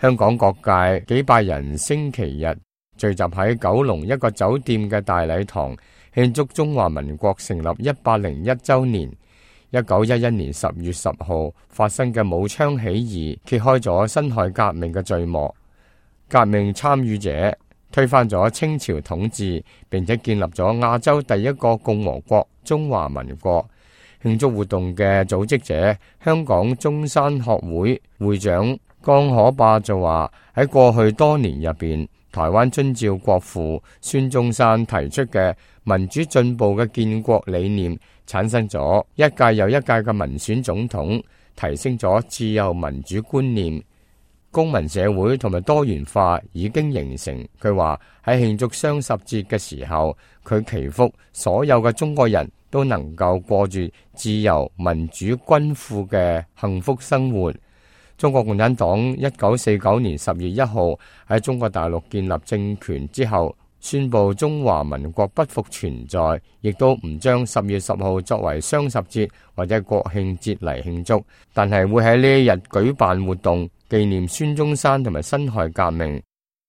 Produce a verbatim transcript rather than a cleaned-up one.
香港各界幾百人星期日聚集喺九龍一個酒店嘅大禮堂，慶祝中華民國成立一百零一週年。一九一一年十月十號發生嘅武昌起義，揭開咗辛亥革命嘅序幕。革命參與者推翻咗清朝統治，並且建立咗亞洲第一個共和國中華民國。慶祝活動嘅組織者，香港中山學會會長江可霸就話：喺過去多年入邊，台灣遵照國父孫中山提出嘅民主進步嘅建國理念，產生咗一屆又一屆嘅民選總統，提升咗自由民主觀念，公民社會同埋多元化已經形成。佢話喺慶祝雙十節嘅時候，佢祈福所有嘅中國人都能夠過住自由民主均富嘅幸福生活。中國共產黨一九四九年十月一號喺中國大陸建立政權之後，宣布中華民國不復存在，亦都唔將十月十號作為雙十節或者國慶節嚟慶祝，但係會喺呢一日舉辦活動紀念孫中山同埋辛亥革命。